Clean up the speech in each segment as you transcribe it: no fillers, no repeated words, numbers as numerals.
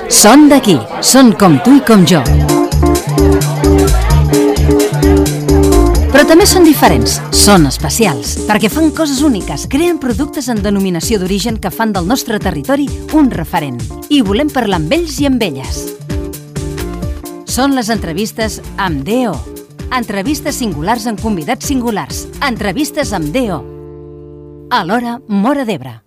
Són d'aquí, són com tu i com jo. Però també són diferents, són especials, perquè fan coses úniques, creen productes en denominació d'origen que fan del nostre territori un referent. I volem parlar amb ells i amb elles. Són les entrevistes amb DO. Entrevistes singulars amb convidats singulars. Entrevistes amb DO. Alhora, Móra d'Ebre.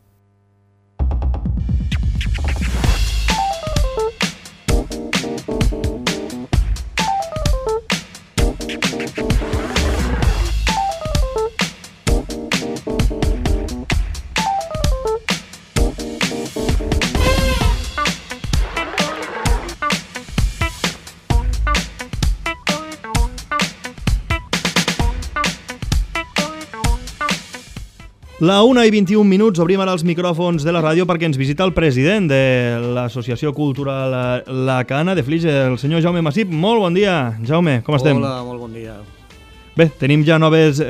La 1:21, obrim ara els micròfons de la ràdio perquè ens visita el president de l'Associació Cultural La Cana de Flix, el senyor Jaume Massip. Molt bon dia, Jaume, com estem? Hola, molt bon dia. Bé, tenim ja noves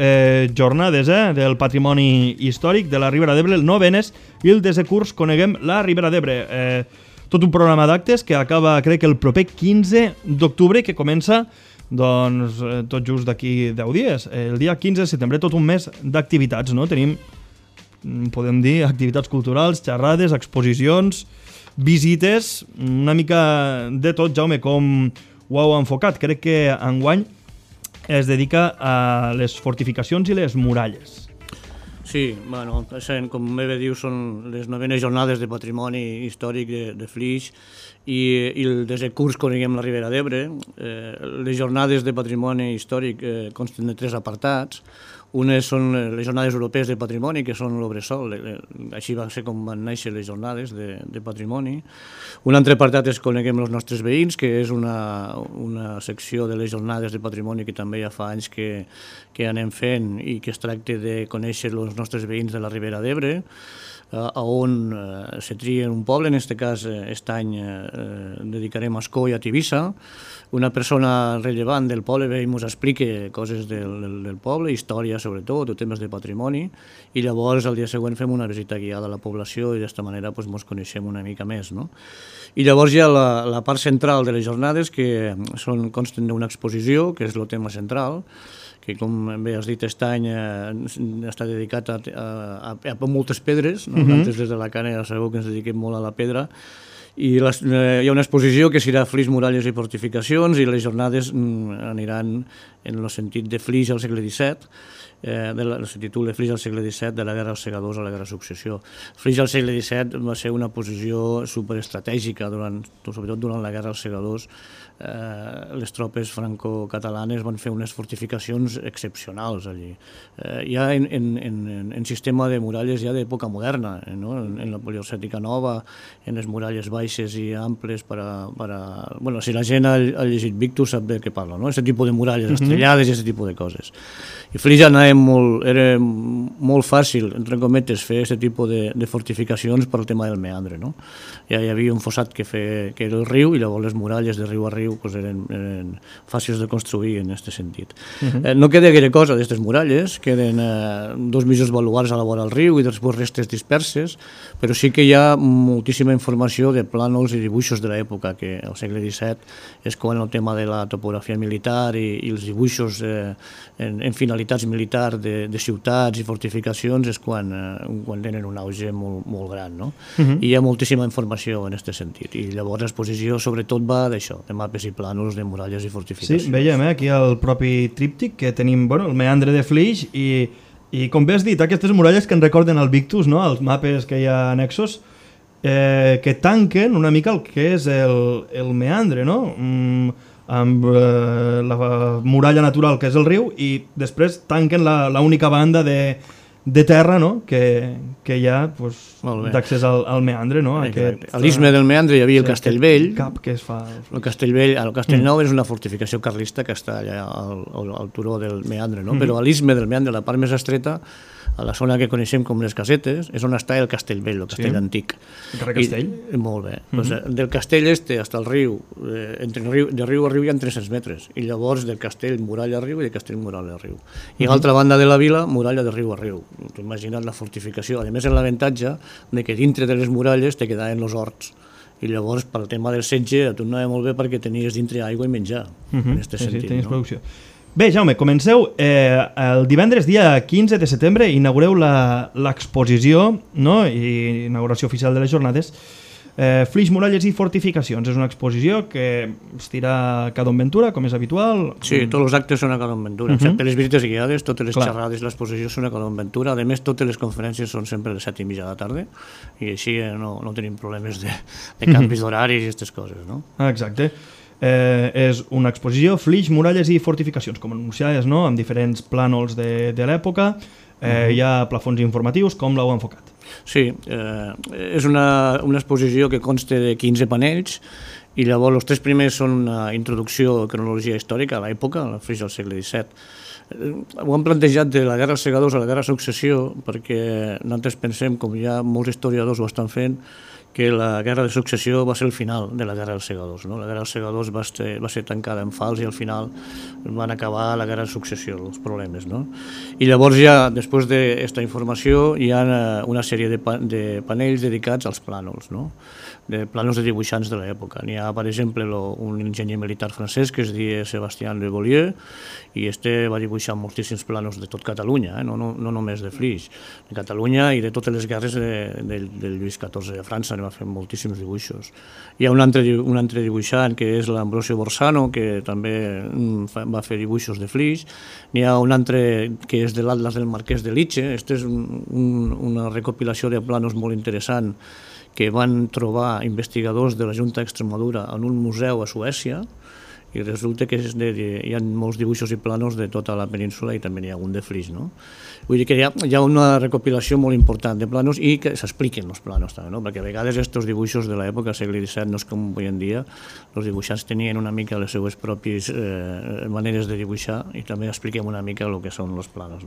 jornades del patrimoni històric de la Ribera d'Ebre, el novenes, i el desè curs Coneguem la Ribera d'Ebre. Tot un programa d'actes que acaba, crec, el proper 15 d'octubre, que comença doncs, tot just d'aquí 10 dies. El dia 15 de setembre, tot un mes d'activitats, no? Tenim, podem dir, activitats culturals, xerrades, exposicions, visites, una mica de tot. Jaume, com ho heu enfocat? Crec que enguany es dedica a les fortificacions i les muralles. Sí, bueno, com bé diu, són les novenes jornades de patrimoni històric de Flix i el desè curs Coneguem la Ribera d'Ebre. Les jornades de patrimoni històric consten de 3 apartats. Unes són les jornades europees de patrimoni, que són l'Obresol, així va ser com van néixer les jornades de patrimoni. Un altre apartat és Coneguem els nostres veïns, que és una secció de les jornades de patrimoni que també ja fa anys que anem fent i que es tracta de conèixer els nostres veïns de la Ribera d'Ebre, on se tria un poble. En aquest cas, aquest any dedicarem a Ascó i a Tivissa. Una persona rellevant del poble ve i ens explica coses del poble, història sobretot, o temes de patrimoni, i llavors el dia següent fem una visita guiada a la població i d'esta manera ens coneixem una mica més. I llavors hi ha la part central de les jornades, que consten d'una exposició, que és el tema central, que, com bé has dit, aquest any està dedicat a moltes pedres. Nosaltres des de la Cana ja sabeu que ens dediquem molt a la pedra, i hi ha una exposició que serà Flix, muralles i fortificacions, i les jornades aniran en el sentit de Flix al segle XVII, se titula Flix al segle XVII, de la guerra als segadors a la guerra de successió. Flix al segle XVII va ser una posició superestratègica, sobretot durant la guerra als segadors. Les tropes franco-catalanes van fer unes fortificacions excepcionals allí. Ja en sistema de muralles ja d'època moderna, en la poliocètica nova, en les muralles baixes i amples si la gent ha llegit Victus sap de què parla, aquest tipus de muralles estrellades i aquest tipus de coses. I Flix era molt fàcil, entre cometes, fer aquest tipus de fortificacions per al tema del meandre. Ja hi havia un fossat que era el riu, i llavors les muralles de riu a riu eren fàcils de construir en aquest sentit. No queda gaire cosa d'aquestes muralles, queden 2 mitjos baluars a la vora del riu i després restes disperses, però sí que hi ha moltíssima informació de plànols i dibuixos de l'època, que al segle XVII és quan el tema de la topografia militar i els dibuixos en finalitats militars de ciutats i fortificacions és quan tenen un auge molt gran. I hi ha moltíssima informació en aquest sentit, i llavors l'exposició sobretot va d'això, de mapes i plànols de muralles i fortificacions. Sí, veiem aquí el propi tríptic que tenim, el meandre de Flix, i com bé has dit, aquestes muralles que ens recorden el Victus, els mapes que hi ha annexos, que tanquen una mica el que és el meandre, amb la muralla natural que és el riu, i després tanquen l'única banda de terra que hi ha d'accés al meandre. A l'istme del meandre hi havia el Castellvell. El Castellvell, el Castellnou és una fortificació carlista que està allà al turó del meandre, però a l'istme del meandre, la part més estreta, a la zona que coneixem com les Casetes, és on està el Castellvell, el castell antic. El carrer Castell. Molt bé. Del castell este fins al riu, de riu a riu hi ha 300 metres, i llavors del castell muralla a riu i del castell muralla a riu. I a l'altra banda de la vila, muralla de riu a riu. T'ho imagina't la fortificació. A més, en l'avantatge de que dintre de les muralles te quedaven els horts. I llavors, pel tema del setge, a tu anava molt bé perquè tenies dintre aigua i menjar, en aquest sentit. Tenies producció. Bé, Jaume, comenceu. El divendres, dia 15 de setembre, inaugureu l'exposició, no? I inauguració oficial de les jornades, Flix, muralles i fortificacions. És una exposició que es tira a Cadon Ventura, com és habitual. Sí, tots els actes són a Cadon Ventura, excepte les visites guiades, totes les xerrades i l'exposició són a Cadon Ventura. A més, totes les conferències són sempre a les 7:30 de la tarda, i així no tenim problemes de canvis d'horaris i aquestes coses, no? Exacte. És una exposició, Flix, muralles i fortificacions, com anunciaves, no? Amb diferents plànols de l'època. Hi ha plafons informatius. Com l'heu enfocat? Sí, és una exposició que consta de 15 panells, i llavors els 3 primers són una introducció a cronologia històrica a l'època, a la Flix del segle XVII. Ho hem plantejat de la Guerra dels Segadors a la Guerra de Successió, perquè nosaltres pensem, com ja molts historiadors ho estan fent, que la Guerra de Successió va ser el final de la Guerra dels Segadors. La Guerra dels Segadors va ser tancada en fals i al final van acabar la Guerra de Successió, els problemes. I llavors ja, després d'aquesta informació, hi ha una sèrie de panells dedicats als plànols, de plànols de dibuixants de l'època. N'hi ha, per exemple, un enginyer militar francès que es diu Sébastien Le Beaulieu, i va dibuixar moltíssims plànols de tot Catalunya, no només de Flix, de Catalunya i de totes les guerres del Lluís XIV de França, va fer moltíssims dibuixos. Hi ha un altre dibuixant, que és l'Ambrosio Borsano, que també va fer dibuixos de Flix. N'hi ha un altre que és de l'Atlas del Marquès de Liche. Aquesta és una recopilació de plànols molt interessant que van trobar investigadors de la Junta d'Extremadura en un museu a Suècia, i resulta que hi ha molts dibuixos i plànols de tota la península i també n'hi ha un de Flix. Vull dir que hi ha una recopilació molt important de plànols i que s'expliquen els plànols també, perquè a vegades aquests dibuixos de l'època, del segle XVII, no és com avui en dia, els dibuixants tenien una mica les seues pròpies maneres de dibuixar i també expliquem una mica el que són els plànols.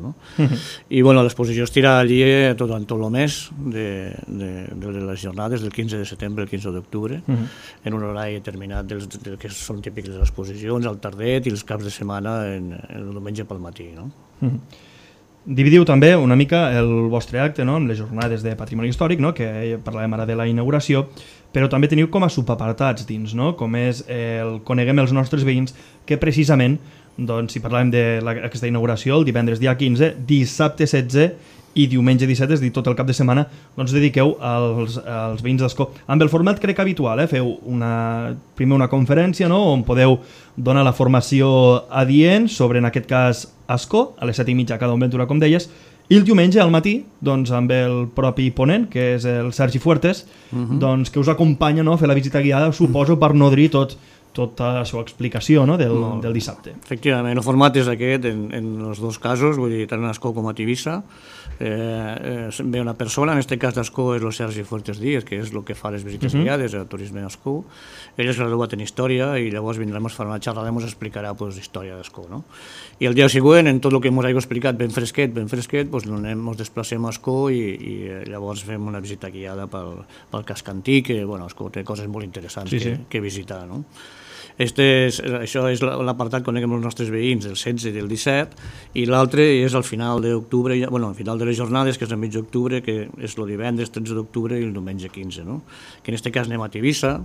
I l'exposició es tira allí tot el mes de les jornades del 15 de setembre al 15 d'octubre, en un horari determinat del que són típics de les exposicions, al tardet i els caps de setmana el diumenge pel matí. Dividiu també una mica el vostre acte amb les jornades de patrimoni històric, que parlàvem ara de la inauguració, però també teniu com a subapartats dins, com és el Coneguem els nostres veïns, que precisament, si parlàvem d'aquesta inauguració, el divendres dia 15, dissabte 16 i diumenge 17, és a dir, tot el cap de setmana, dediqueu als veïns d'Ascó. Amb el format crec habitual, feu primer una conferència on podeu donar la formació adient sobre, en aquest cas, Ascó, a les 7:30 a Cadon Ventura, com deies, i el diumenge al matí, amb el propi ponent, que és el Sergi Fuertes, que us acompanya a fer la visita guiada, suposo, per nodrir tota la seva explicació del dissabte. Efectivament, el format és aquest en els dos casos, vull dir, tant a Ascó com a Tivissa. Ve una persona, en aquest cas d'Ascó és el Sergi Fuertes Díaz, que és el que fa les visites guiades, el turisme d'Ascó. Ell és graduat en Història i llavors vindrem a fer una xerrada i ens explicarà història d'Ascó. I el dia següent, en tot el que ens hagi explicat ben fresquet, ens desplacem a Ascó i llavors fem una visita guiada pel casc antic, que Ascó té coses molt interessants que visitar. Això és l'apartat Coneguem els nostres veïns, el 16 i el 17, i l'altre és al final d'octubre, al final de les jornades, que és el mig d'octubre, que és el divendres 13 d'octubre i el diumenge 15, que en aquest cas anem a Tivissa,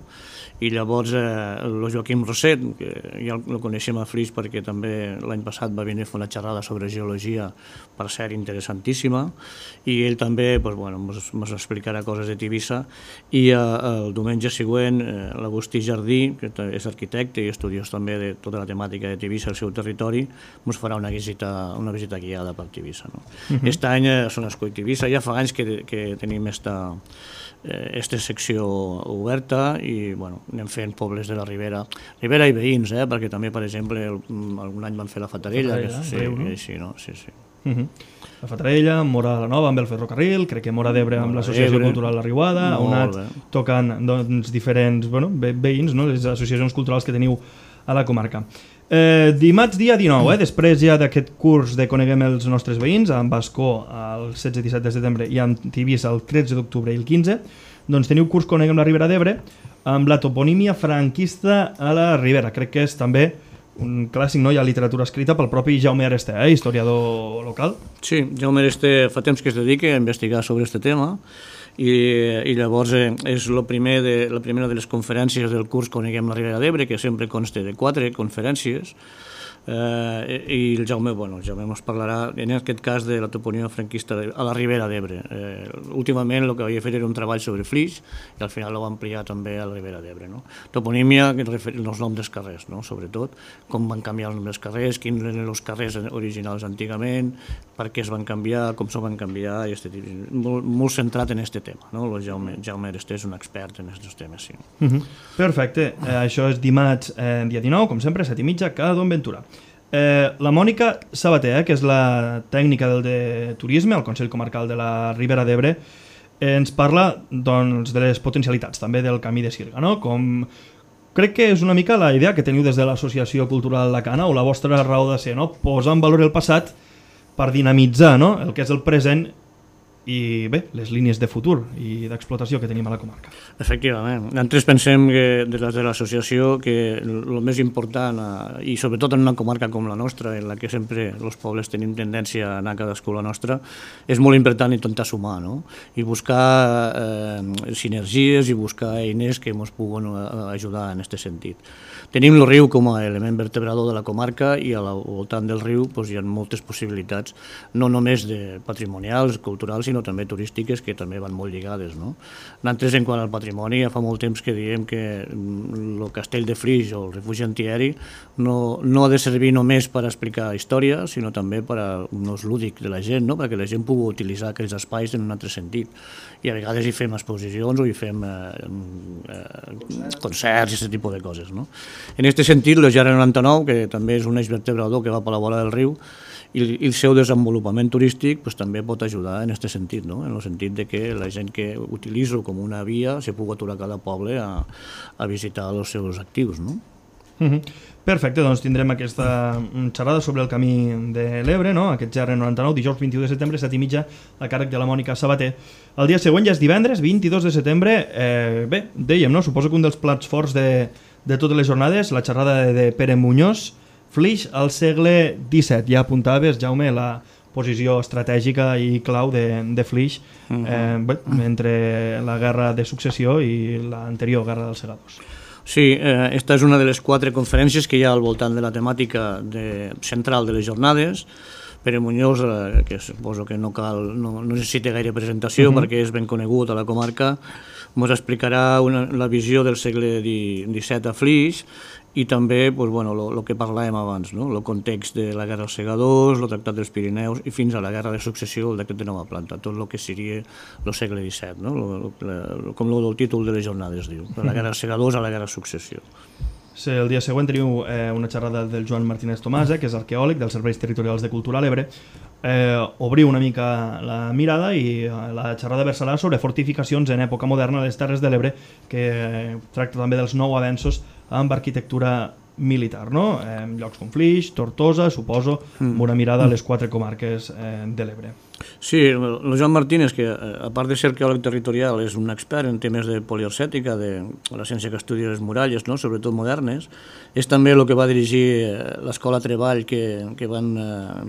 i llavors el Joaquim Roset, que ja el coneixem a Flix perquè també l'any passat va venir a fer una xerrada sobre geologia, per cert interessantíssima, i ell també ens explicarà coses de Tivissa, i el diumenge següent l'Agustí Jardí, que és arquitecte i estudiós també de tota la temàtica de Tivissa al seu territori, ens farà una visita guiada per Tivissa. Aquest any són Ascó i Tivissa, ja fa anys que tenim aquesta secció oberta i anem fent pobles de la Ribera i veïns, perquè també, per exemple, algun any van fer la Fatarella. La Fatarella, Móra la Nova amb el ferrocarril, crec que Móra d'Ebre amb l'Associació Cultural La Riuada, on tocant diferents veïns, les associacions culturals que teniu a la comarca. Dimarts dia 19, després ja d'aquest curs de Coneguem els nostres veïns, amb Ascó el 16-17 de setembre i amb Tivissa el 13 d'octubre i el 15, doncs teniu curs Coneguem la Ribera d'Ebre amb la toponímia franquista a la Ribera. Crec que és també un clàssic, no? Hi ha literatura escrita pel propi Jaume Aresté, historiador local. Sí, Jaume Aresté fa temps que es dedica a investigar sobre aquest tema i llavors és la primera de les conferències del curs Coneguem la Ribera d'Ebre, que sempre consta de 4 conferències, i el Jaume ens parlarà en aquest cas de la toponímia franquista a la Ribera d'Ebre. Últimament el que havia fet era un treball sobre Flix i al final ho va ampliar també a la Ribera d'Ebre. Toponímia, els noms dels carrers, sobretot, com van canviar els noms dels carrers, quins eren els carrers originals antigament, per què es van canviar, com s'ho van canviar, molt centrat en aquest tema. El Jaume Aresté és un expert en aquests temes. Sí. Perfecte, això és dimarts dia 19, com sempre, 7:30, cada Don Ventura. La Mònica Sabater, que és la tècnica de turisme al Consell Comarcal de la Ribera d'Ebre, ens parla doncs, de les potencialitats també del Camí de Sirga, no? Com crec que és una mica la idea que teniu des de l'Associació Cultural La Cana o la vostra raó de ser, no? Posar en valor el passat per dinamitzar, no? El que és el present i bé, les línies de futur i d'explotació que tenim a la comarca. Efectivament. Nosaltres pensem que des de l'associació que el més important, i sobretot en una comarca com la nostra, en la que sempre els pobles tenim tendència a anar cadascú a la nostra, és molt important intentar sumar, no? I buscar sinergies i buscar eines que ens puguin ajudar en aquest sentit. Tenim el riu com a element vertebrador de la comarca i al voltant del riu hi ha moltes possibilitats, no només de patrimonials, culturals, sinó també turístiques, que també van molt lligades. Nosaltres, en quant al patrimoni, ja fa molt temps que diem que el castell de Flix o el refugi antiaeri no ha de servir només per explicar història, sinó també per a un ús lúdic de la gent, perquè la gent pugui utilitzar aquells espais en un altre sentit. I a vegades hi fem exposicions o hi fem concerts i aquest tipus de coses. En aquest sentit, el GR99, que també és un eix vertebrador que va per la vora del riu, i el seu desenvolupament turístic també pot ajudar en aquest sentit, en el sentit que la gent que utilitza com una via se pugui aturar a cada poble a visitar els seus actius. Perfecte, doncs tindrem aquesta xerrada sobre el Camí de l'Ebre, aquest GR99, dijous 21 de setembre, 7:30, a càrrec de la Mònica Sabater. El dia següent ja és divendres, 22 de setembre. Bé, dèiem, suposo que un dels plats forts de totes les jornades, la xerrada de Pere Muñoz, Flix al segle XVII. Ja apuntaves, Jaume, la posició estratègica i clau de Flix entre la Guerra de Successió i l'anterior Guerra dels Segadors. Sí, esta és una de les 4 conferències que hi ha al voltant de la temàtica central de les jornades. Pere Muñoz, que suposo que no necessita gaire presentació perquè és ben conegut a la comarca, ens explicarà la visió del segle XVII a Flix i també el que parlàvem abans, el context de la Guerra dels Segadors, el Tractat dels Pirineus i fins a la Guerra de Successió, el decret de nova planta, tot el que seria el segle XVII, com el títol de les jornades diu, de la Guerra dels Segadors a la Guerra de Successió. El dia següent teniu una xerrada del Joan Martínez Tomàs, que és arqueòleg dels Serveis Territorials de Cultura a l'Ebre. Obriu una mica la mirada i la xerrada versarà sobre fortificacions en època moderna a les Terres de l'Ebre, que tracta també dels nous avenços amb arquitectura militar, llocs com Flix, Tortosa, suposo, amb una mirada a les 4 comarques de l'Ebre. Sí, el Joan Martínez, que a part de ser arqueòleg territorial és un expert en temes de poliarcètica, de la ciència que estudia les muralles, sobretot modernes, és també el que va dirigir l'escola Treball que van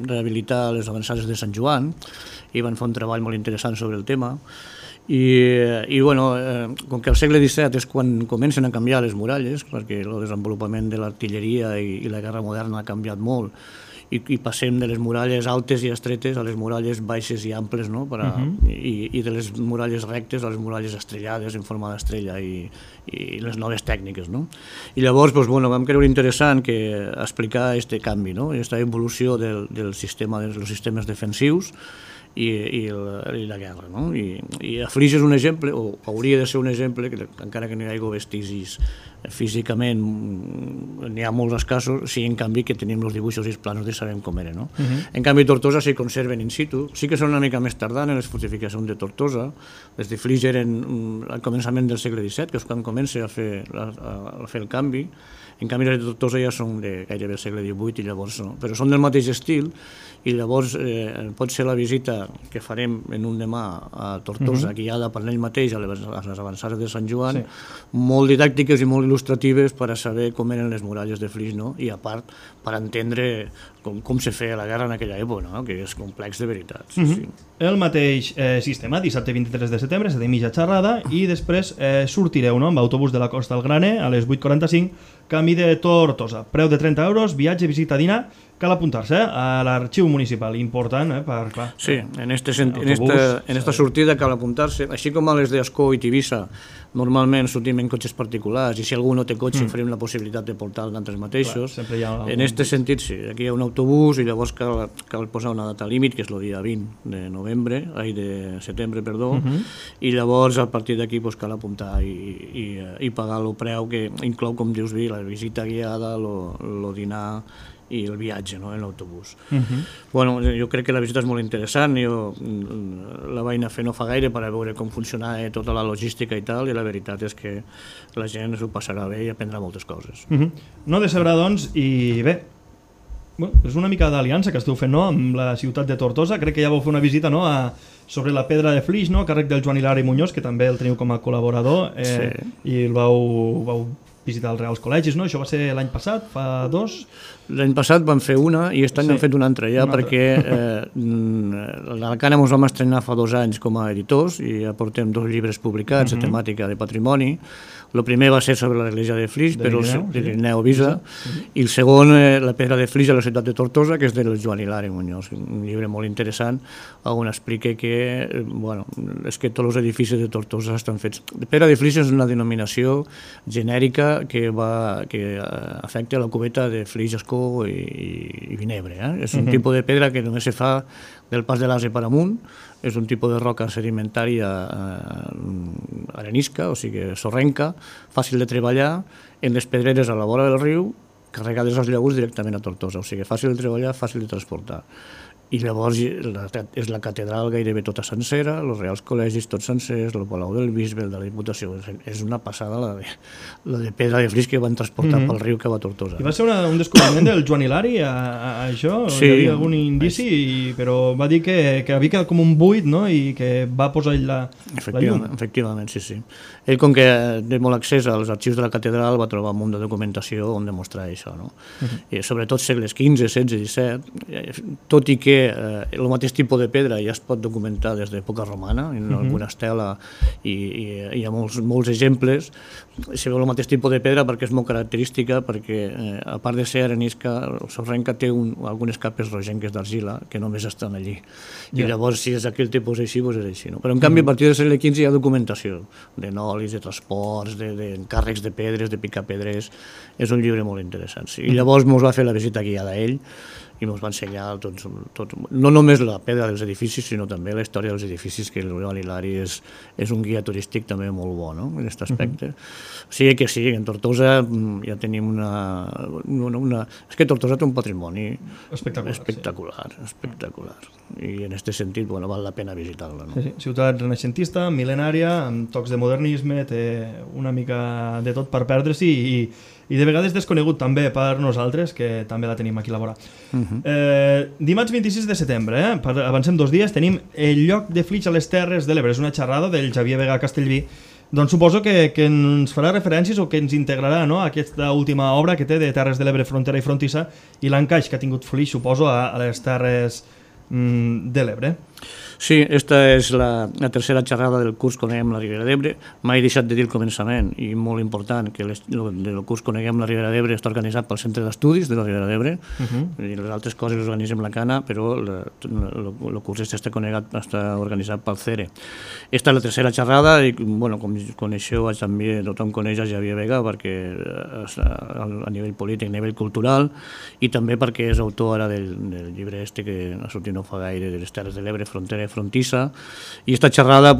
rehabilitar les avançades de Sant Joan i van fer un treball molt interessant sobre el tema. Com que al segle XVII és quan comencen a canviar les muralles, perquè el desenvolupament de l'artilleria i la guerra moderna ha canviat molt, i passem de les muralles altes i estretes a les muralles baixes i amples, i de les muralles rectes a les muralles estrellades en forma d'estrella i les noves tècniques. I llavors vam creure interessant explicar aquest canvi, aquesta evolució dels sistemes defensius i la guerra. I a Flix és un exemple, o hauria de ser un exemple, encara que no hi hagi vestigis físicament n'hi ha molts escassos, sí, en canvi que tenim els dibuixos i els planos de sabem com eren, no? En canvi Tortosa s'hi conserven in situ, sí que són una mica més tardanes les fortificacions de Tortosa, les de Flix eren al començament del segle XVII, que és quan comença a fer el canvi. En canvi les de Tortosa ja són de gairebé el segle XVIII i llavors no, però són del mateix estil i llavors pot ser la visita que farem en un demà a Tortosa, guiada per ell mateix a les avançades de Sant Joan, molt didàctiques i molt il·lustratives per a saber com eren les muralles de Flix, no? I a part per entendre com se feia la guerra en aquella època, no? Que és complex de veritat. Sí. El mateix sistema, dissabte 23 de setembre, 7:30 xerrada, i després sortireu, no?, amb autobús de la Costa al Graner a les 8:45, camí de Tortosa. Preu de 30 euros, viatge, visita, dinar. Cal apuntar-se a l'arxiu municipal, important, per, clar. Sí, en esta sortida cal apuntar-se, així com a les d'Ascó i Tivissa, normalment sortim en cotxes particulars i si algú no té cotxe oferim la possibilitat de portar d'altres mateixos. En aquest sentit, sí, aquí hi ha un autobús i llavors cal posar una data límit, que és el dia 20 de setembre, i llavors a partir d'aquí cal apuntar i pagar el preu que inclou, com dius, la visita guiada, el dinar i el viatge, no?, en l'autobús. Bueno, jo crec que la visita és molt interessant, jo la vaig anar a fer no fa gaire per a veure com funcionava tota la logística i tal, i la veritat és que la gent s'ho passarà bé i aprendrà moltes coses. No decebrà, doncs, i bé, és una mica d'aliança que esteu fent, no?, amb la ciutat de Tortosa. Crec que ja vau fer una visita, no?, sobre la pedra de Flix, no?, a càrrec del Joan Hilari Muñoz, que també el teniu com a col·laborador, i el vau visitar els Reals Col·legis, no? Això va ser l'any passat, fa 2? L'any passat vam fer una i aquest any hem fet una altra ja, perquè l'Alacant ens vam estrenar fa 2 anys com a editors i ja portem 2 llibres publicats de temàtica de patrimoni. El primer va ser sobre l'església de Flix, de l'Irineu Visa, i el segon, la pedra de Flix a la ciutat de Tortosa, que és del Joan Hilari Muñoz, un llibre molt interessant on explica que és que tots els edificis de Tortosa estan fets. Pedra de Flix és una denominació genèrica que afecta la cubeta de Flix, Ascó i Vinebre. És un tipus de pedra que només se fa del pas de l'Ase per amunt, és un tipus de roca sedimentària arenisca, o sigui sorrenca, fàcil de treballar, en les pedreres a la vora del riu, carregades als llaüts directament a Tortosa, o sigui fàcil de treballar, fàcil de transportar. I llavors és la catedral gairebé tota sencera, els Reals Col·legis tots sencers, el Palau del Bisbe, el de la Diputació. És una passada la de pedra de Flix que van transportar pel riu que va a Tortosa. I va ser un descobriment del Joan Hilari a això? Sí. Hi havia algun indici, però va dir que havia quedat com un buit, no?, i que va posar ell la llum. Efectivament, sí. Ell, com que té molt accés als arxius de la catedral, va trobar un munt de documentació on demostrar això, no? I sobretot segles XV, XVI, XVII, tot i que el mateix tipus de pedra ja es pot documentar des d'època romana, en alguna estela, i hi ha molts exemples. Se veu el mateix tipus de pedra perquè és molt característica, perquè a part de ser arenisca, el sorrenca té algunes capes rogenques d'argila que només estan allí. I llavors, si és aquell tipus així, doncs és així. Però en canvi, a partir del segle XV hi ha documentació de nolis, de transports, d'encàrrecs de pedres, de picar pedres. És un llibre molt interessant. I llavors ens va fer la visita guiada a ell i ens va ensenyar no només la pedra dels edificis, sinó també la història dels edificis, que el Joan Hilari és un guia turístic també molt bo, no?, en aquest aspecte. O sigui que sí, en Tortosa ja tenim és que Tortosa té un patrimoni espectacular. I en aquest sentit val la pena visitar-la. Ciutat renaixentista, mil·lenària, amb tocs de modernisme, té una mica de tot per perdre-s'hi i de vegades desconegut també per nosaltres, que també la tenim aquí a la vora. Dimarts 26 de setembre, avancem 2 dies, tenim el lloc de Flix a les Terres de l'Ebre. És una xerrada del Xavier Vega Castellví. Doncs suposo que ens farà referències o que ens integrarà, no?, aquesta última obra que té de Terres de l'Ebre, frontera i frontissa, i l'encaix que ha tingut Flix, suposo, a les Terres de l'Ebre. Sí, esta és la tercera xerrada del curs Coneguem la Ribera d'Ebre. Mai he deixat de dir al començament, i molt important, que el curs Coneguem la Ribera d'Ebre està organitzat pel Centre d'Estudis de la Ribera d'Ebre, i les altres coses les organitzem la Cana, però el curs està organitzat pel CERE. Esta és la tercera xerrada, i com coneixeu, també tothom coneix a Xavier Vega, perquè a nivell polític, a nivell cultural, i també perquè és autor ara del llibre que ha sortit no fa gaire, de les Terres de l'Ebre, frontera i frontissa, i aquesta xerrada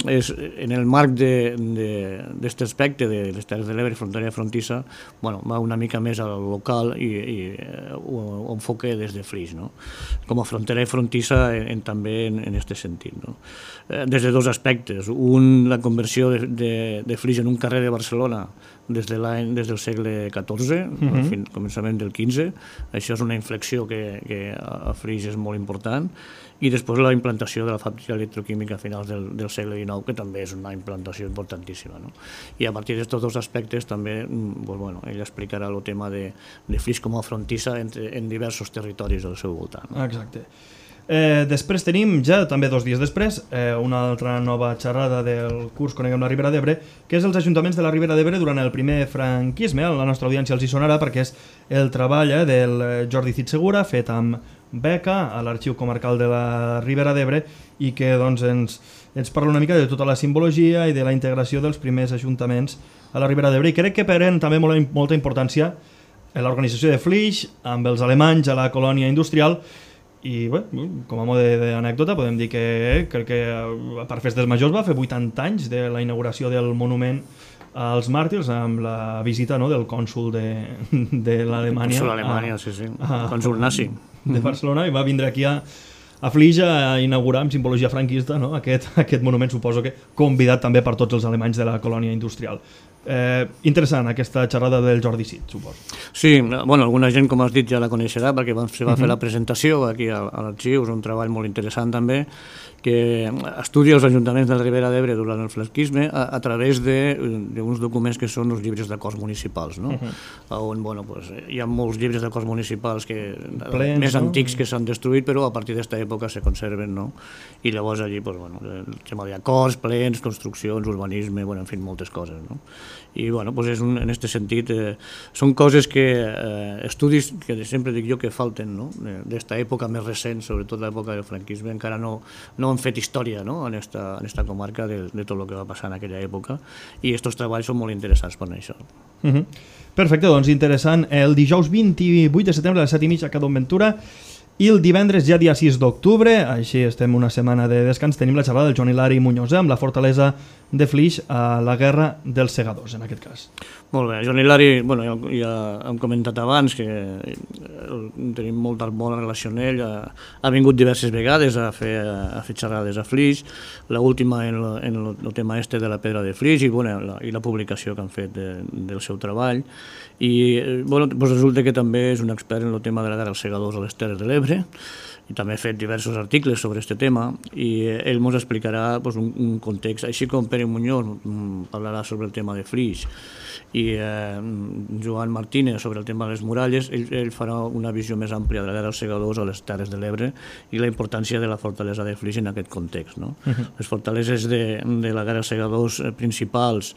és en el marc d'aquest aspecte de les Terres de l'Ebre, frontera frontissa, va una mica més al local i ho enfoca des de Flix, no? Com a frontera frontissa també en aquest sentit, no? Des de dos aspectes. Un, la conversió de Flix en un carrer de Barcelona des del segle XIV, al començament del XV. Això és una inflexió que a Flix és molt important. I després la implantació de la fàbrica electroquímica a finals del segle XIX, que també és una implantació importantíssima, no? I a partir d'aquests dos aspectes també ell explicarà el tema de Flix com a frontissa en diversos territoris del seu voltant. Exacte. Després tenim, ja també 2 dies després, una altra nova xerrada del curs Coneguem la Ribera d'Ebre, que és els ajuntaments de la Ribera d'Ebre durant el primer franquisme. A la nostra audiència els hi sonarà perquè és el treball del Jordi Cid Segura, fet amb beca a l'Arxiu Comarcal de la Ribera d'Ebre, i que ens parla una mica de tota la simbologia i de la integració dels primers ajuntaments a la Ribera d'Ebre, i crec que pren també molta importància l'organització de Flix amb els alemanys a la colònia industrial. I bé, com a mode d'anècdota podem dir que crec que per Festes Majors va fer 80 anys de la inauguració del monument als màrtirs amb la visita del cònsol de l'Alemanya. Cònsol d'Alemanya, sí. Cònsol nazi. De Barcelona, i va vindre aquí a Flix a inaugurar amb simbologia franquista aquest monument, suposo que convidat també per tots els alemanys de la colònia industrial. Interessant aquesta xerrada del Jordi Cid, suposo. Sí, alguna gent, com has dit, ja la coneixerà perquè se va fer la presentació aquí a l'arxiu. És un treball molt interessant també, que estudia els ajuntaments de la Ribera d'Ebre durant el franquisme a través d'uns documents que són els llibres d'acords municipals, no? On hi ha molts llibres d'acords municipals més antics que s'han destruït, però a partir d'aquesta època se conserven, no? I llavors allí el tema d'acords, plens, construccions, urbanisme, en fi, moltes coses, no? I en aquest sentit són coses estudis que sempre dic jo que falten, no? D'esta època més recent, sobretot l'època del franquisme, encara no han fet història, no? en esta comarca de tot el que va passar en aquella època, i aquests treballs són molt interessants per això. Perfecte, doncs interessant. El dijous 28 de setembre a les 7:30 a Cadon Ventura, i el divendres, ja dia 6 d'octubre, així estem una setmana de descans, tenim la xerrada del Joan Hilari Muñoz amb la fortalesa de Flix a la Guerra dels Segadors, en aquest cas. Molt bé, Joan Hilari, ja hem comentat abans que tenim molta bona relació amb ell, ha vingut diverses vegades a fer xerrades a Flix, l'última en el tema de la pedra de Flix i la publicació que han fet del seu treball, i resulta que també és un expert en el tema de la Guerra dels Segadors a les Terres de l'Ebre, i també ha fet diversos articles sobre aquest tema, i ell ens explicarà un context, així com Pere Muñoz parlarà sobre el tema de Flix, i Joan Martínez sobre el tema de les muralles. Ell farà una visió més àmplia de la Guerra dels Segadors a les Terres de l'Ebre i la importància de la fortalesa de Flix en aquest context, no? Les fortaleses de la Guerra dels Segadors principals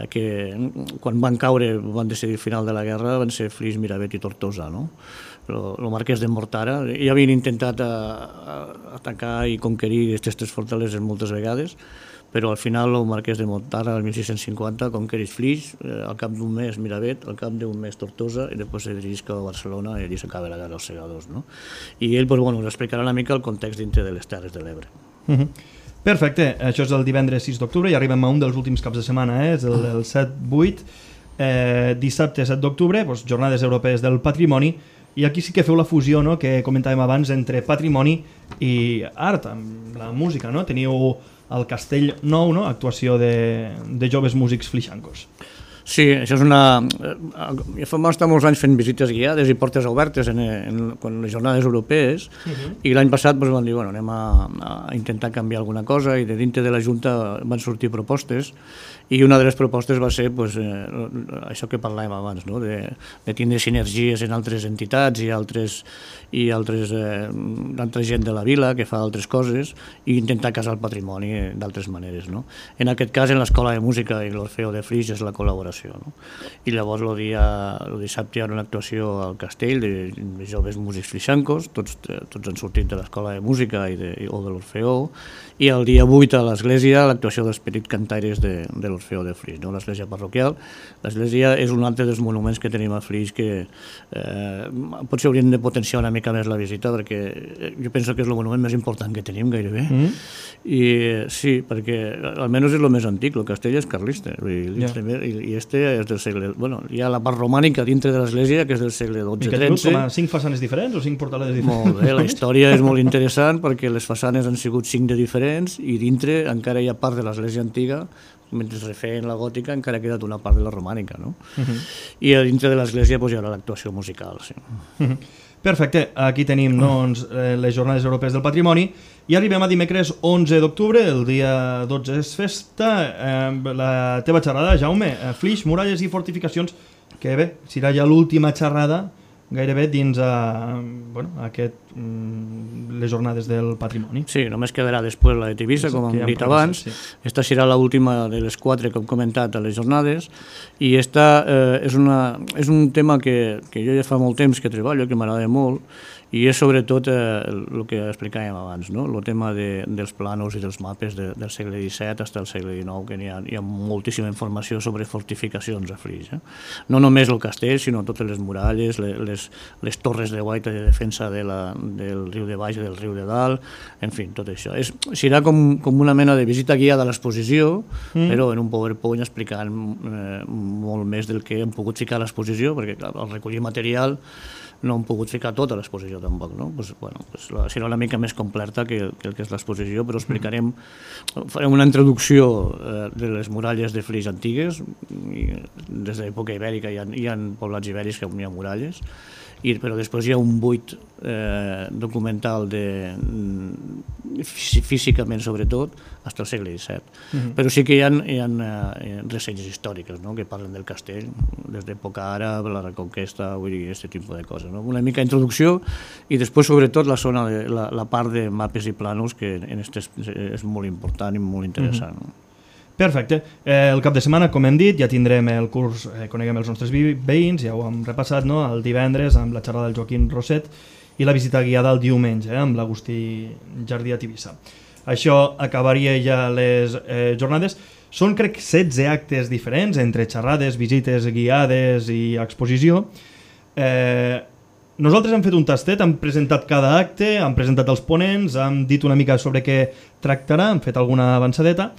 que quan van caure, van decidir el final de la guerra, van ser Flix, Miravet i Tortosa, no? El marquès de Mortara ja havien intentat atacar i conquerir aquestes fortaleses moltes vegades, però al final el marquès de Mortara, el 1650, conquereix Flix, al cap d'un mes Miravet, al cap d'un mes Tortosa, i després se dirigeix a Barcelona i allí s'acaba la Guerra dels Segadors, no? I ell ens explicarà una mica el context dintre de les Terres de l'Ebre. Perfecte, això és el divendres 6 d'octubre i arribem a un dels últims caps de setmana, és el 7-8, dissabte 7 d'octubre, jornades europees del patrimoni, i aquí sí que feu la fusió, no?, que comentàvem abans entre patrimoni i art, amb la música, no? Teniu el Castell Nou, no?, actuació de joves músics flixancos. Sí, això és vam estar molts anys fent visites guiades i portes obertes en les jornades europees, i l'any passat van dir, anem a intentar canviar alguna cosa, i de dintre de la Junta van sortir propostes, i una de les propostes va ser això que parlàvem abans, de tindre sinergies en altres entitats i altra gent de la vila que fa altres coses, i intentar casar el patrimoni d'altres maneres. En aquest cas, en l'Escola de Música i l'Orfeo de Flix és la col·laboració. l'actuació. No? I llavors el dissabte hi ha una actuació al Castell de joves músics flixancos, tots han sortit de l'escola de música o de l'Orfeó, i el dia 8 a l'església l'actuació dels petits cantaires de l'Orfeó de Flix, no? L'església parroquial. L'església és un altre dels monuments que tenim a Flix que potser hauríem de potenciar una mica més la visita, perquè jo penso que és el monument més important que tenim gairebé. I sí, perquè almenys és el més antic, el castell és carlista, i este és del segle... Bueno, hi ha la part romànica dintre de l'església, que és del segle XII-XIII. I que té com a 5 façanes diferents o 5 portalades diferents? Molt bé, la història és molt interessant perquè les façanes han sigut 5 de diferents i dintre encara hi ha part de l'església antiga, mentre es refeien la gòtica encara ha quedat una part de la romànica, no? I a dintre de l'església hi haurà l'actuació musical, sí. Perfecte, aquí tenim doncs, les Jornades Europees del Patrimoni i arribem a dimecres 11 d'octubre, el dia 12 és festa, la teva xerrada, Jaume, Flix, muralles i fortificacions, que bé, serà ja l'última xerrada gairebé dins les Jornades del Patrimoni. Sí, només quedarà després la de Tivissa, com hem dit abans. Esta serà l'última de les 4 que hem comentat a les jornades, i esta és un tema que jo ja fa molt temps que treballo, que m'agrada molt, i és sobretot el que explicàvem abans, no? El tema dels plànols i dels mapes del segle XVII fins al segle XIX, que hi ha moltíssima informació sobre fortificacions a Flix. No només el castell, sinó totes les muralles, les torres de guaita de defensa del riu de baix i del riu de dalt, en fi, tot això. Serà com una mena de visita guiada a l'exposició, però en un PowerPoint explicant molt més del que hem pogut ficar a l'exposició, perquè clar, al recollir material no hem pogut ficar tot a l'exposició tampoc, no? Serà una mica més completa que el que és l'exposició, però farem una introducció de les muralles de Flix antigues, des de l'època ibèrica hi ha poblats ibèrics que hi ha muralles, però després hi ha un buit documental físicament sobretot fins al segle XVII, però sí que hi ha ressenyes històriques, no? Que parlen del castell des d'època àrab, la reconquesta, vull dir, aquest tipus de coses, no? Una mica d'introducció i després sobretot la part de mapes i plànols, que és molt important i molt interessant. Perfecte. El cap de setmana, com hem dit, ja tindrem el curs Coneguem els nostres veïns, ja ho hem repassat, no? El divendres amb la xerrada del Joaquim Roset i la visita guiada el diumenge amb l'Agustí Jardí a Tivissa. Això acabaria ja les jornades. Són, crec, 16 actes diferents entre xerrades, visites guiades i exposició. Nosaltres hem fet un tastet, hem presentat cada acte, hem presentat els ponents, hem dit una mica sobre què tractarà, hem fet alguna avançadeta.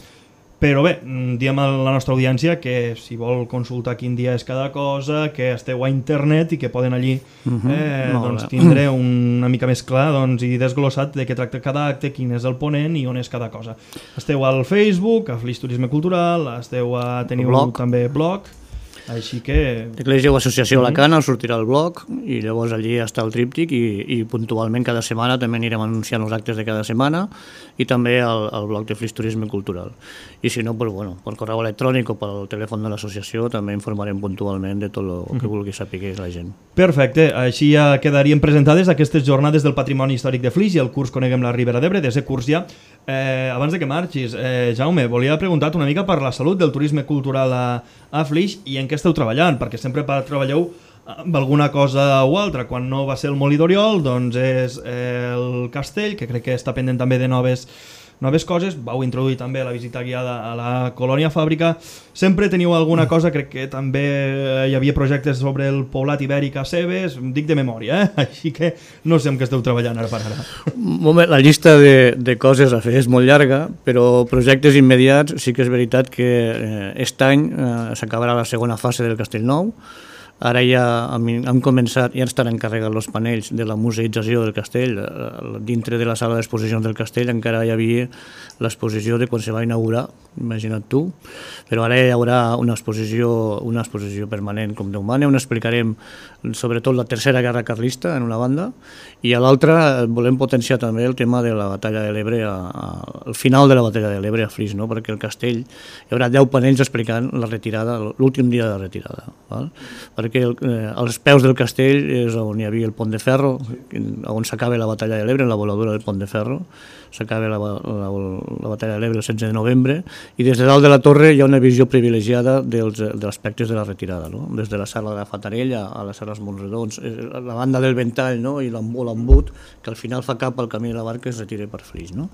Però bé, diem a la nostra audiència que si vol consultar quin dia és cada cosa, que esteu a internet i que poden allí tindre una mica més clar i desglossat de què tracta cada acte, quin és el ponent i on és cada cosa. Esteu al Facebook, a Flix Turisme Cultural, teniu també blog, així que... L'Església o Associació Alacant sortirà al blog i llavors allí està el tríptic i puntualment cada setmana també anirem anunciant els actes de cada setmana i també al blog de Flix Turisme Cultural. I si no, per correu electrònic o pel telèfon de l'associació també informarem puntualment de tot el que vulgui saber la gent. Perfecte, així ja quedarien presentades aquestes jornades del Patrimoni Històric de Flix i el curs Coneguem la Ribera d'Ebre, de ser curs ja. Abans de que marxis, Jaume, volia preguntar-te una mica per la salut del turisme cultural a Flix i en què esteu treballant, perquè sempre treballeu amb alguna cosa o altra. Quan no va ser el Molí d'Oriol, doncs és el castell, que crec que està pendent també de noves coses. Vau introduir també la visita guiada a la Colònia Fàbrica. Sempre teniu alguna cosa, crec que també hi havia projectes sobre el poblat ibèric a Cebes, dic de memòria, així que no sé amb què esteu treballant ara per ara. La llista de coses a fer és molt llarga, però projectes immediats sí que és veritat que aquest any s'acabarà la segona fase del Castell Nou. Ara ja han començat, ja estan encarregats els panells de la museïtzació del castell. Dintre de la sala d'exposicions del castell encara hi havia l'exposició de quan se va inaugurar, imagina't tu, però ara hi haurà una exposició permanent com Déu mana, on explicarem sobretot la Tercera Guerra Carlista en una banda, i a l'altra volem potenciar també el tema de la batalla de l'Ebre, al final de la batalla de l'Ebre a Flix, no? Perquè el castell hi haurà 10 panells explicant la retirada, l'últim dia de retirada, val? Perquè perquè als peus del castell és on hi havia el Pont de Ferro, on s'acaba la batalla de l'Ebre, la voladura del Pont de Ferro, s'acaba la batalla de l'Ebre el 16 de novembre, i des de dalt de la torre hi ha una visió privilegiada dels aspectes de la retirada, no? Des de la Serra de la Fatarella a la Serra dels Montredons, la banda del Ventall, no? I l'embut, que al final fa cap al camí de la Barca i es retira per Flix, no?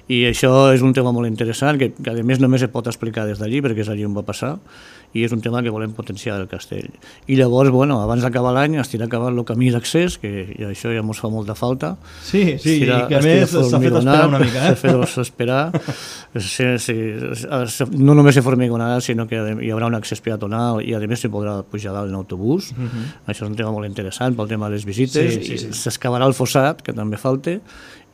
I això és un tema molt interessant, que a més només es pot explicar des d'allí, perquè és allí on va passar, i és un tema que volem potenciar del castell. I llavors, bueno, abans d'acabar l'any es tira acabant el camí d'accés, que això ja ens fa molta falta. Sí, i que a més s'ha fet esperar una mica. S'ha fet esperar. No només se formigonarà, sinó que hi haurà un accés peatonal i a més s'hi podrà pujar dalt en autobús. Això és un tema molt interessant pel tema de les visites. S'excavarà el fossat, que també falta,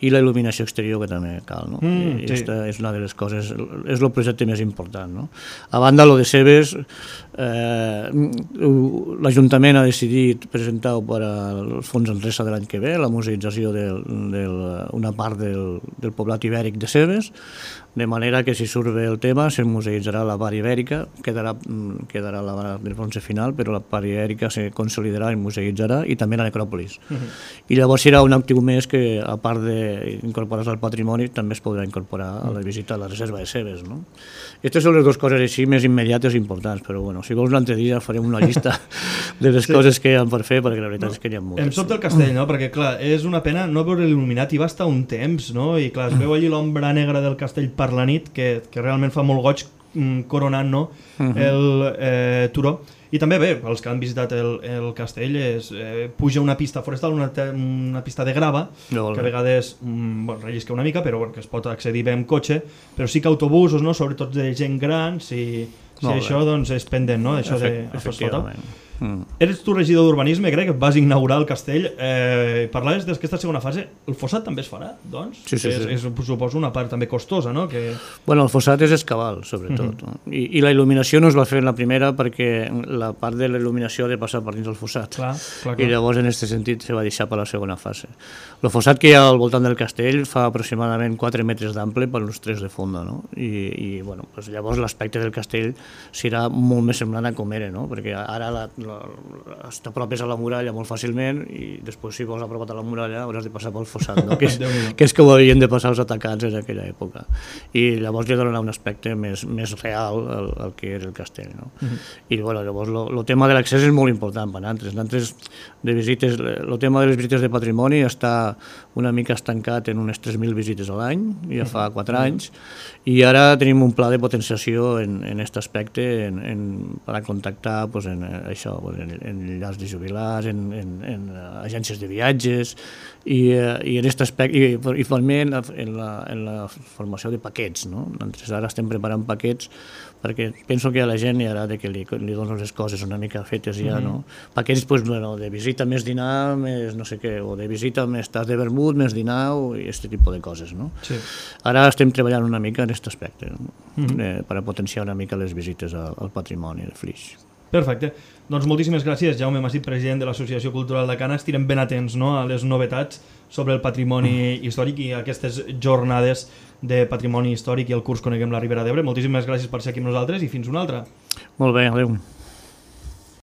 i la il·luminació exterior, que també cal, no? I aquesta és una de les coses, és el projecte més important, no? A banda, lo de Cebes, l'Ajuntament ha decidit presentar-ho per al Fons Enresa de l'any que ve, la museïtzació d'una part del poblat ibèric de Cebes, de manera que si surt bé el tema se museïtzarà la part ibèrica, quedarà la del bronze final, però la part ibèrica se consolidarà i museïtzarà, i també la necròpolis. I llavors serà un actiu més que, a part d'incorporar-se al patrimoni, també es podrà incorporar a la visita a la reserva de Cebes, no? Aquestes són les dues coses així més immediates i importants, però bueno, si vols un altre dia farem una llista de les coses que hi ha per fer, perquè la veritat és que n'hi ha moltes. Em sobta el castell, no? Perquè clar, és una pena no veure il·luminat, i va estar un temps, no? I clar, es veu allí l'ombra negra del castell per la nit, que realment fa molt goig coronant, no? El turó. I també bé, els que han visitat el castell, puja una pista forestal, una pista de grava, que a vegades rellisca una mica, però que es pot accedir bé amb cotxe, però sí que autobusos, no? Sobretot de gent gran, si això doncs, és pendent, no? Això d'asfaltar. Eres tu regidor d'urbanisme, crec que vas inaugurar el castell, parlaves d'aquesta segona fase. El fossat també es farà, doncs? Sí. És, suposo, una part també costosa, no? Bueno, el fossat és escaval, sobretot. I la il·luminació no es va fer en la primera perquè la part de la il·luminació ha de passar per dins del fossat. Clar. I llavors, en aquest sentit, se va deixar per la segona fase. El fossat que hi ha al voltant del castell fa aproximadament 4 metres d'ample per uns 3 de fonda, no? I bueno, doncs llavors l'aspecte del castell serà molt més semblant a com era, no? Perquè ara t'apropes a la muralla molt fàcilment i després si vols apropar a la muralla hauràs de passar pel fossat, no? que és que ho havien de passar els atacants en aquella època, i llavors li donarà un aspecte més real al que era el castell, no? I bueno, llavors el tema de l'accés és molt important per nosaltres de visites. El tema de les visites de patrimoni està una mica estancat en unes 3.000 visites a l'any, ja fa 4 anys, i ara tenim un pla de potenciació en aquest aspecte per a contactar en això, en llars de jubilats, en agències de viatges, i en aquest aspecte, i també en la formació de paquets, no? Ara estem preparant paquets perquè penso que a la gent hi agrada que li dones les coses una mica fetes ja, no? Paquets de visita més dinar, més no sé què, o de visita més tas de vermut, més dinar, i aquest tipus de coses, no? Ara estem treballant una mica en aquest aspecte, per a potenciar una mica les visites al patrimoni de Flix. Perfecte. Doncs moltíssimes gràcies, Jaume Masip, president de l'Associació Cultural de Cana. Estirem ben atents, no?, a les novetats sobre el patrimoni històric i aquestes jornades de patrimoni històric i el curs Coneguem la Ribera d'Ebre. Moltíssimes gràcies per ser aquí amb nosaltres i fins una altra. Molt bé, adéu.